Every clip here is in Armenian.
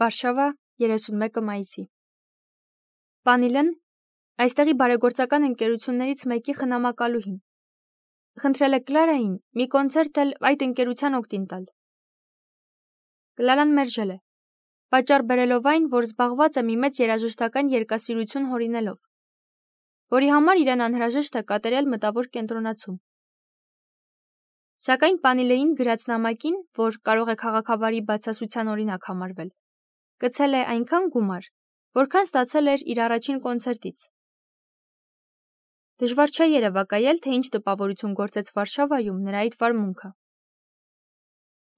Վարշավա 31 մայիսի։ Պանիլեն այստեղի բարեգործական ընկերություններից մեկի խնամակալուհին։ Խնդրել է Կլարային մի կոնցերտ էլ այդ ընկերության օգտին տալ։ Կլարան մերժել է, պատճառ բերելով այն, որ զբաղված է մի մեծ երաժշտական երկասիրություն հորինելով, որի համար իրեն անհրաժեշտ է կատարյալ մտավոր կենտրոնացում։ Սակայն Պանիլեին գրած նամակին, որ կարող է քաղաքավարի բացասության օրինակ համարվել, գցել է այնքան գումար, որքան ստացել էր իր առաջին կոնցերտից։ Դժվար չէ երևակայել, թե ինչ տպավորություն գործեց Վարշավայում նրա այդ վարմունքը։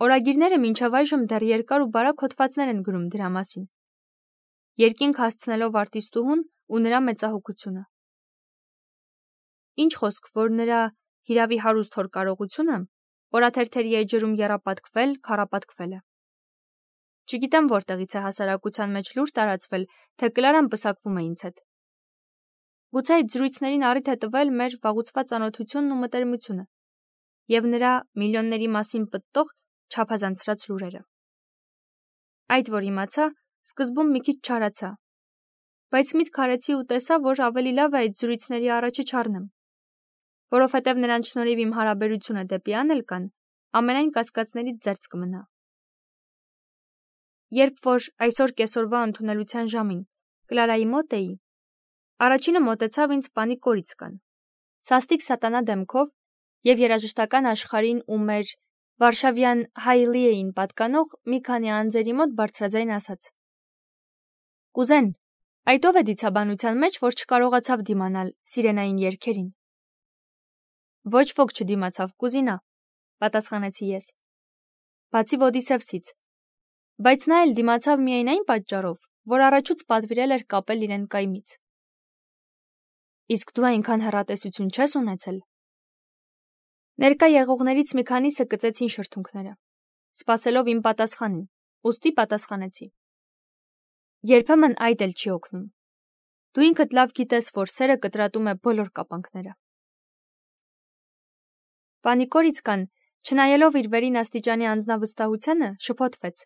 Օրագիրները մինչև այժմ դեռ երկար ու բարակ հոդվածներ են գրում դրա մասին, երկինք հասցնելով արտիստուհուն ու նրա մեծահոգությունը։ Ինչ խոսք, որ նրա հիրավի հարուստ հոր կարողությունը օրաթերթերի էջերում եռապատկվել, քառապատկվել է։ Չգիտեմ որտեղից է հասարակության մեջ լուր տարածվել, թե Կլարան պսակվում է ինձ հետ։ Գուցե այդ զրույցներին առիթ է տվել մեր վաղուցված ծանոթությունն ու մտերմությունը և նրա միլիոնների մասին պտտող չափազանցրած լուրերը։ Այդ որ իմացա, սկզբում մի քիչ չարացա, բայց միտք արեցի ու տեսա, որ ավելի լավ է այդ զրույցների առաջը չառնեմ, որովհետև նրանց շնորհիվ իմ հարաբերությունը դեպի Անելկան ամենայն կասկածներից զերծ կմնա։ Երբ որ այսօր կեսօրվա ընդունելության ժամին Կլարայի մոտ էի, առաջինը մոտեցավ ինձ պանի կորիցկան, սաստիկ սատանա դեմքով և երաժշտական աշխարհին ու մեր վարշավյան Հայլիեին պատկանող մի քանի անձերի մոտ բարձրաձայն ասաց. «Կուզեն, այդ ով է դիցաբանության մեջ, որ չկարողացավ դիմանալ սիրենային երգերին»։ Ոչ ոք չդիմացավ, կուզինա, պատասխանեցի ես, բացի Ոդիսևսից, բայց նա էլ դիմացավ միայն այն պատճառով, որ առաջուց պատվիրել էր կապել իրեն կայմից։ Իսկ դու այնքան հեռատեսություն չես ունեցել։ Ներկա եղողներից մի քանիսը կծեցին շրթունքները, սպասելով իմ պատասխանին, ուստի պատասխանեցի. երբեմն այդ էլ չի օգնում։ Դու ինքդ լավ գիտես, որ սերը կտրատում է բոլոր կապանքները։ Պանի Կորիցկան, չնայելով իր վերին աստիճանի անձնավստահությանը, շփոթվեց։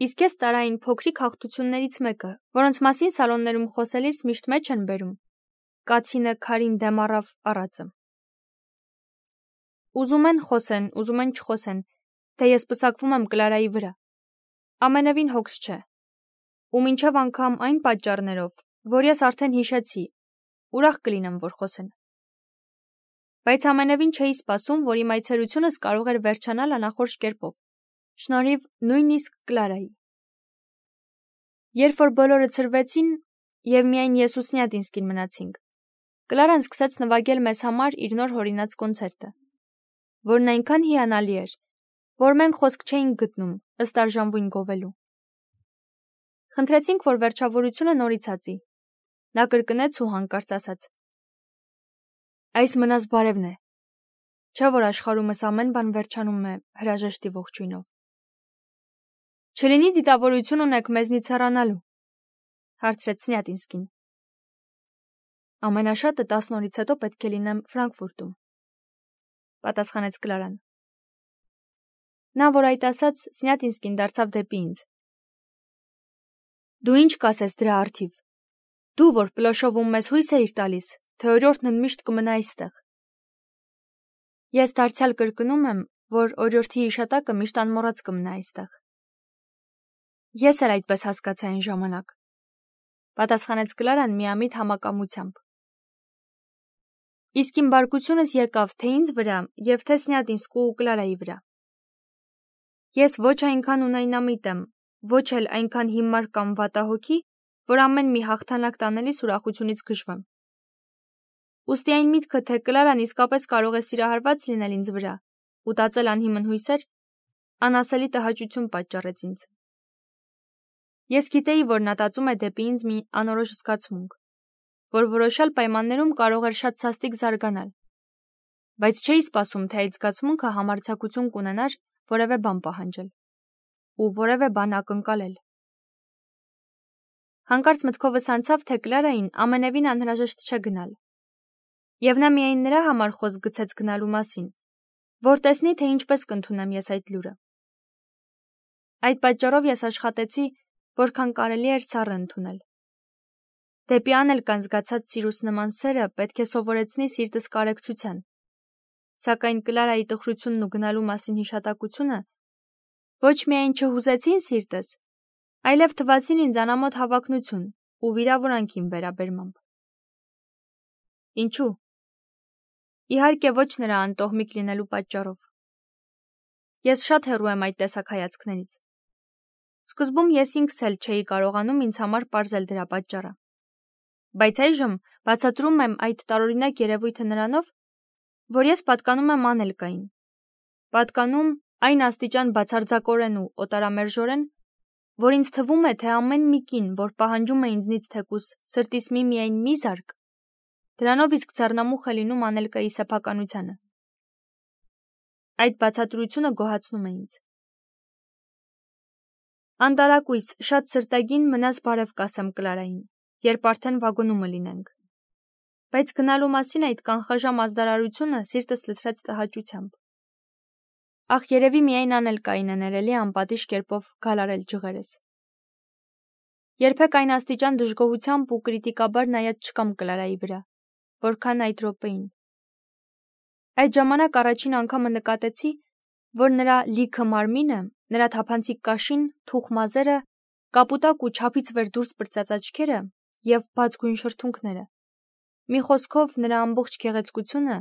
Իսկ ես տարա այն փոքրիկ հաղթություններից մեկը, որոնց մասին սալոններում խոսելիս միշտ մեջ են բերում։ Կացինը քարին դեմ առավ առածը։ Ուզում են խոսեն, ուզում են չխոսեն, թե ես պսակվում եմ Կլարայի վրա։ Ամենևին հոգս չէ։ Ու մինչև անգամ այն պատճառներով, որ ես արդեն հիշեցի, ուրախ կլինեմ, որ խոսեն։ Բայց ամենևին չէի սպասում, որ իմ այցելությունս կարող էր վերջանալ անախորժ կերպով, շնորհիվ նույնիսկ Կլարայի։ Երբ որ բոլորը ցրվեցին և միայն ես ու Սնյատինսկին մնացինք, Կլարան սկսեց նվագել մեզ համար իր նոր հորինած կոնցերտը, որն այնքան հիանալի էր, որ մենք խոսք չէինք գտնում ըստ արժանվույն գովելու։ Խնդրեցինք, որ վերջավորությունը նորից ածի։ Նա կրկնեց ու հանկարծ ասաց. «Այս մնաս բարևն է, չէ՞ որ աշխարհումս ամեն բան վերջանում է հրաժեշտի ողջույնով»։ Չլինի դիտավորություն ունեք մեզնից հեռանալու, հարցրեց Սնյատինսկին։ Ամենաշատը 10 օրից հետո պետք է լինեմ Ֆրանկֆուրտում, պատասխանեց Կլարան։ Նա, որ այդ ասաց, Սնյատինսկին դարձավ դեպի ինձ։ Դու ինչ կասես դրա առթիվ։ Դու, որ Պլոշովում մեզ հույս էիր տալիս, թե օրիորդն միշտ կմնա այստեղ։ Ես դարձյալ կրկնում եմ, որ օրիորդի հիշատակը միշտ անմոռաց կմնա այստեղ։ Ես էլ այդպես հասկացա այն ժամանակ, պատասխանեց Կլարան միամիտ համակամությամբ։ Իսկ իմ բարկությունս եկավ թե ինձ վրա և թե Սնյատինսկու ու Կլարայի վրա։ Ես ոչ այնքան ունայնամիտ եմ, ոչ էլ այնքան հիմար կամ վատահոգի, որ ամեն մի հաղթանակ տանելիս ուրախությունից գժվեմ։ Ուստի այն միտքը, թե Կլարան իսկապես կարող է սիրահարված լինել ինձ վրա ու տածել անհիմն հույսեր, անասելի տհաճություն պատճառեց ինձ։ Ես գիտեի, որ նա տածում է դեպի ինձ մի անորոշ զգացմունք, որ որոշյալ պայմաններում կարող էր շատ սաստիկ զարգանալ, բայց չէի սպասում, թե այդ զգացմունքը համարձակություն կունենար որևէ բան պահանջել ու որևէ բան ակնկալել։ Հանկարծ մտքովս անցավ, թե Կլարային ամենևին անհրաժեշտ չէ գնալ, և նա միայն նրա համար խոսք գցեց գնալու մասին, որ տեսնի, թե ինչպես կընդունեմ ես այդ լուրը։ Այդ պատճառով ես աշխատեցի, որքան կարելի էր սառը ընդունել։ Դեպի անելկան զգացած սիրուս նման սերը պետք է սովորեցնի սիրտս կարեկցության, սակայն Կլարայի տխրությունն ու գնալու մասին հիշատակությունը ոչ միայն չհուզեցին սիրտս, այլև թվացին ինձ անամոթ հավակնություն ու վիրավորանք իմ վերաբերմամբ։ Ինչու՞։ Իհարկե ոչ նրա անտոհմիկ լինելու պատճառով։ Ես շատ հեռու եմ այդ տեսակ հայացքներից։ Սկզբում ես ինքս էլ չէի կարողանում ինձ համար պարզել դրա պատճառը։ Բայց այժմ բացատրում եմ այդ տարօրինակ երևույթը նրանով, որ ես պատկանում եմ անելկային։ Պատկանում այն աստիճան բացարձակորեն ու օտարամերժորեն, որ ինձ թվում է, թե ամեն մի կին, որ պահանջում է ինձնից թեկուզ սրտիս միայն մի զարկ, դրանով իսկ ձեռնամուխ է լինում անելկայի սեփականությանը։ Այդ բացատրությունը գոհացնում է ինձ։ Անտարակույս, շատ սրտագին մնաս բարև կասեմ Կլարային, երբ արդեն վագոնումը լինենք։ Բայց գնալու մասին այդ կանխաժամ ազդարարությունը սիրտս լցրեց տհաճությամբ։ Ախ, երևի միայն անելկային է ներելի անպատիժ կերպով գալարել ջղերս։ Երբեք այն աստիճան դժգոհությամբ ու կրիտիկաբար նայած չկամ Կլարայի վրա, որքան այդ րոպեին։ Այդ ժամանակ առաջին անգամը նկատեցի, որ նրա լիքը մարմինը, նրա թափանցիկ կաշին, թուխ մազերը, կապուտակ ու չափից վեր դուրս պրծած աչքերը և բաց գույն շրթունքները, մի խոսքով նրա ամբողջ գեղեցկությունը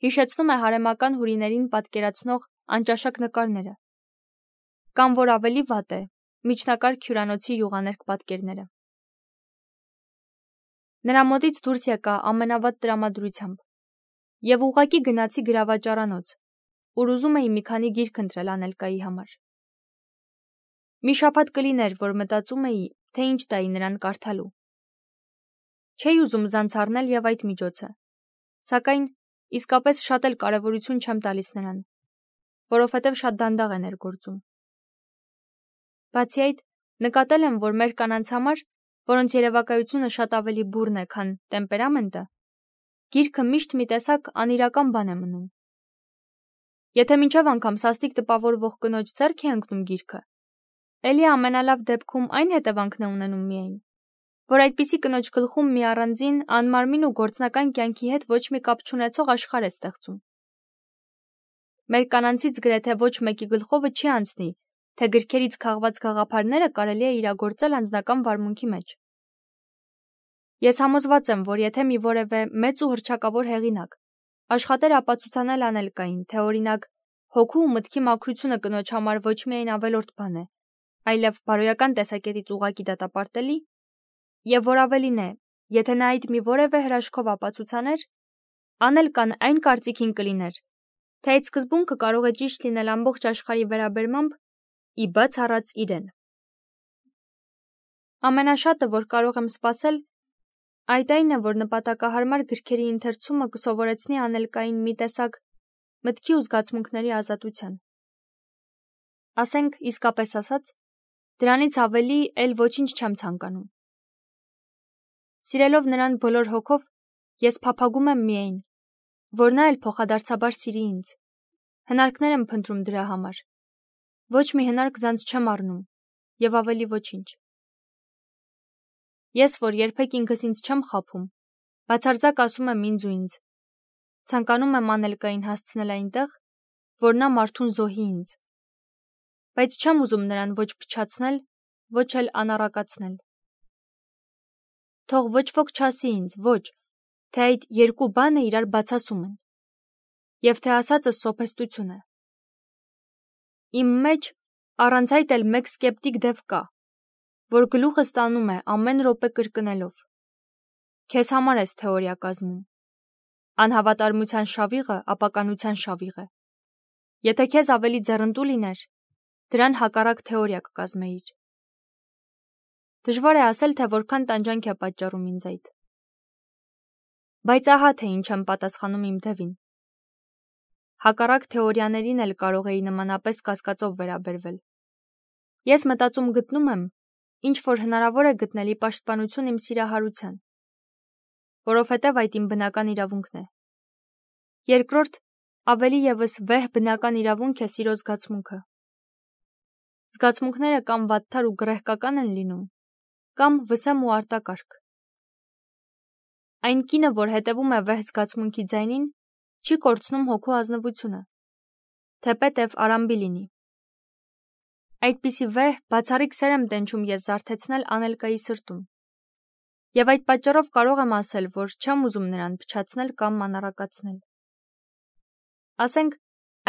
հիշեցնում է հարեմական հյուրիներին պատկերացնող անճաշակ նկարները, կամ որ ավելի վատ է, միջնակարգ հյուրանոցի յուղաներկ պատկերները։ Նրա մոտից դուրս եկա ամենավատ տրամադրությամբ և ուղղակի գնացի գրավաճառանոց, ուր ուզում էի մի քանի գիրք ընտրել անելկայի համար։ Մի շաբաթ կլիներ, որ մտածում էի, թե ինչ տայի նրան կարդալու։ Չէի ուզում զանց առնել և այդ միջոցը, սակայն իսկապես շատ էլ կարևորություն չեմ տալիս նրան, որովհետև շատ դանդաղ է ներգործում։ Բացի այդ, նկատել եմ, որ մեր կանանց համար, որոնց երևակայությունը շատ ավելի բուռն է, քան տեմպերամենտը, գիրքը միշտ մի տեսակ անիրական բան է մնում։ Եթե մինչև անգամ սաստիկ տպավորվող կնոջ ձեռք է ընկնում գիրքը, էլի ամենալավ դեպքում այն հետևանքն է ունենում միայն, որ այդպիսի կնոջ գլխում մի առանձին, անմարմին ու գործնական կյանքի հետ ոչ մի կապ չունեցող աշխարհ է ստեղծում։ Մեր կանանցից գրեթե ոչ մեկի գլխովը չի անցնի, թե գրքերից քաղված գաղափարները կարելի է իրագործել անձնական վարմունքի մեջ։ Ես համոզված եմ, որ եթե մի որևէ մեծ ու հռչակավոր հեղինակ աշխատեր ապացուցանել անելկային, թե օրինակ հոգու ու մտքի մաքրությունը կնոջ համար ոչ միայն ավելորդ բան է, այլև բարոյական տեսակետից ուղղակի դատապարտելի, եւ որ ավելին է, եթե նա այդ մի որևէ հրաշքով ապացուցաներ, անելկան այն կարծիքին կլիներ, թե այդ սկզբունքը կարող է ճիշտ լինել ամբողջ աշխարհի վերաբերմամբ, ի բաց առած իրեն։ Ամենաշատը, որ կարող եմ սպասել, այդ այն է, որ նպատակահարմար գրքերի ընթերցումը կսովորեցնի անելկային մի տեսակ մտքի ու զգացմունքների ազատության։ Ասենք, իսկապես ասած, դրանից ավելի էլ ոչինչ չեմ ցանկանում։ Սիրելով նրան բոլոր հոգով, ես փափագում եմ միայն, որ նա էլ փոխադարձաբար սիրի ինձ։ Հնարքներ եմ փնտրում դրա համար։ Ոչ մի հնարք զանց չեմ առնում, եւ ավելի ոչինչ։ Ես, որ երբեք ինքս ինձ չեմ խաբում, բացարձակ ասում եմ ինձ ու ինձ, ցանկանում եմ անելկային հասցնել այնտեղ, որ նա մարդուն զոհի ինձ, բայց չեմ ուզում նրան ոչ փչացնել, ոչ էլ անառակացնել։ Թող ոչ ոք չասի ինձ, ոչ, թե այդ երկու բանը իրար բացասում են, եւ թե ասածս սոփեստություն է։ Իմ մեջ առանց այդ էլ մեկ սկեպտիկ դև կա, որ գլուխը ստանում է ամեն րոպե կրկնելով. քեզ համար ես թեորիա կազմում։ Անհավատարմության շավիղը ապականության շավիղ է։ Եթե քեզ ավելի ձեռնտու լիներ, դրան հակառակ թեորիա կկազմեիր։ Դժվար է ասել, թե որքան տանջանք է պատճառում ինձ այդ։ Բայց ահա թե ինչ եմ պատասխանում իմ դևին։ Հակառակ թեորիաներին էլ կարող էի նմանապես կասկածով վերաբերվել։ Ես մտածում գտնում եմ, ինչ որ հնարավոր է գտնելի պաշտպանություն իմ սիրահարության, որովհետև այդ իմ բնական իրավունքն է։ Երկրորդ, ավելի եւս վեհ բնական իրավունք է սիրո զգացմունքը։ զգացմունքները կամ վատթար ու գռեհկական են լինում, կամ վսեմ ու արտակարգ։ Այն կինը, որ հետևում է վեհ զգացմունքի ձայնին, չի կորցնում հոգու ազնվությունը, թեպետև արամբի լինի։ Այդպիսի վեհ, բացառիկ սեր եմ տենչում ես զարթեցնել անելկայի սրտում, և այդ պատճառով կարող եմ ասել, որ չեմ ուզում նրան փչացնել կամ մանրակացնել։ Ասենք,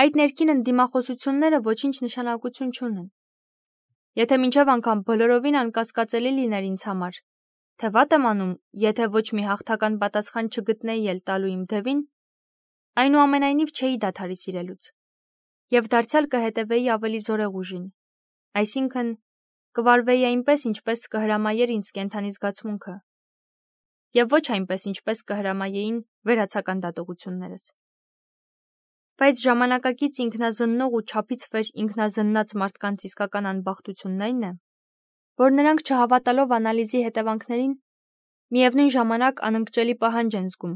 այդ ներքին ընդդիմախոսությունները ոչինչ նշանակություն չունեն։ Եթե մինչև անգամ բոլորովին անկասկածելի լիներ ինձ համար, թե վատ եմ անում, եթե ոչ մի հաղթական պատասխան չգտնեի էլ տալու իմ դևին, այնուամենայնիվ չէի դադարի սիրելուց, և դարձյալ կհետևեի ավելի զորեղ ուժին, այսինքն կվարվեի այնպես, ինչպես կհրամայեր ինձ կենդանի զգացմունքը, և ոչ այնպես, ինչպես կհրամայեին վերացական դատողություններս։ Բայց ժամանակակից ինքնազննող ու չափից վեր ինքնազննած մարդկանց իսկական անբախտությունն այն է, որ նրանք չհավատալով անալիզի հետևանքներին, միևնույն ժամանակ անընկճելի պահանջ են զգում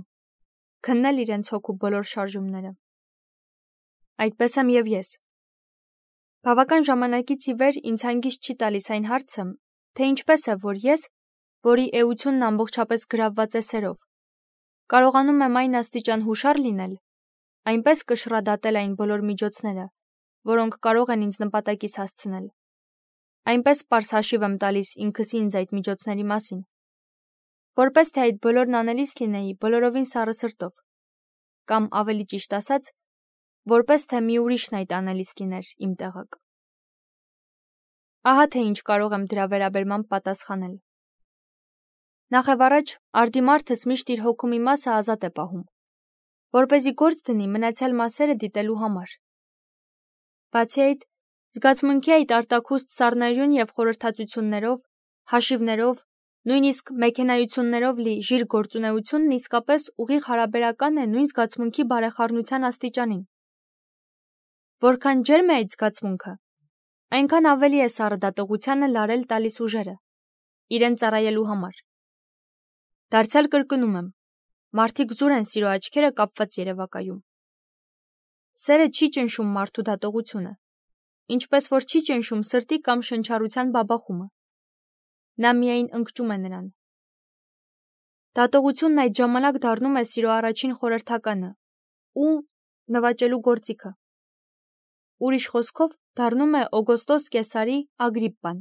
քննել իրենց հոգու բոլոր շարժումները։ Այդպես եմ և ես։ Բավական ժամանակից ի վեր ինձ հանգիստ չի տալիս այն հարցը, թե ինչպես է, որ ես, որի էությունն ամբողջապես գրավված է սերով, կարողանում եմ այն աստիճան հուշար լինել, այնպես կշռադատել այն բոլոր միջոցները, որոնք կարող են ինձ նպատակիս հասցնել, այնպես պարզ հաշիվ եմ տալիս ինքս ինձ այդ միջոցների մասին, որպես թե այդ բոլորն անելիս լինեի բոլորովին սառը սրտով, կամ ավելի ճիշտ ասած, որպես թե մի ուրիշն այդ անելիս լիներ իմ տեղակ։ Ահա թե ինչ կարող եմ դրա վերաբերմամբ պատասխանել։ Նախևառաջ, արդիմարդս միշտ իր հոգու մի մասը ազատ է պահում, որպեսզի գործ դնի մնացյալ մասերը դիտելու համար։ Բացի այդ, զգացմունքի այդ արտաքուստ սառնարյուն և խորհրդածություններով, հաշիվներով, նույնիսկ մեքենայություններով լի ժիր գործունեությունն իսկապես ուղիղ հարաբերական է նույն զգացմունքի բարեխառնության աստիճանին։ Որքան ջերմ է այդ զգացմունքը, այնքան ավելի է սառը դատողությանը լարել տալիս ուժերը, իրեն ծառայելու համար։ Դարձյալ կրկնում եմ, մարդիկ զուր են սիրո աչքերը կապված երևակայում։ Սերը չի ճնշում մարդու դատողությունը, ինչպես որ չի ճնշում սրտի կամ շնչառության բաբախումը։ Նա միայն ընկճում է նրան։ Դատողությունն այդ ժամանակ դառնում է սիրո առաջին խորհրդականը ու նվաճելու գործիքը։ Ուրիշ խոսքով, դառնում է Օգոստոս Կեսարի Ագրիպպան։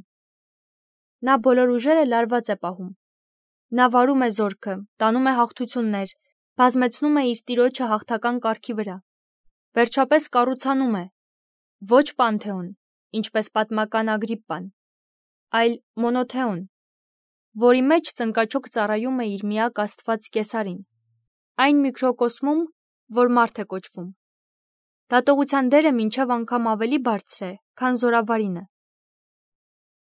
Նա բոլոր ուժերը լարված է պահում։ Նա վարում է զորքը, տանում է հաղթություններ, բազմեցնում է իր տիրոջը հաղթական կառքի վրա։ Վերջապես կառուցանում է ոչ Պանթեոն, ինչպես պատմական Ագրիպպան, այլ Մոնոթեոն, որի մեջ ծնկաչոք ծառայում է իր միակ աստված Կեսարին, այն միկրոկոսմում, որ մարդ է կոչվում։ Դատողության դերը մինչև անգամ ավելի բարձր է, քան զորավարինը,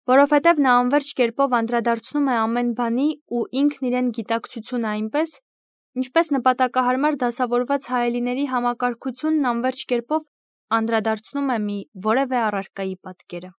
որովհետև նա անվերջ կերպով անդրադարձնում է ամեն բանի ու ինքն իրեն գիտակցությունը այնպես, ինչպես նպատակահարմար դասավորված հայելիների համակարգությունն անվերջ կերպով անդրադարձնում է մի որևէ առարկայի պատկերը։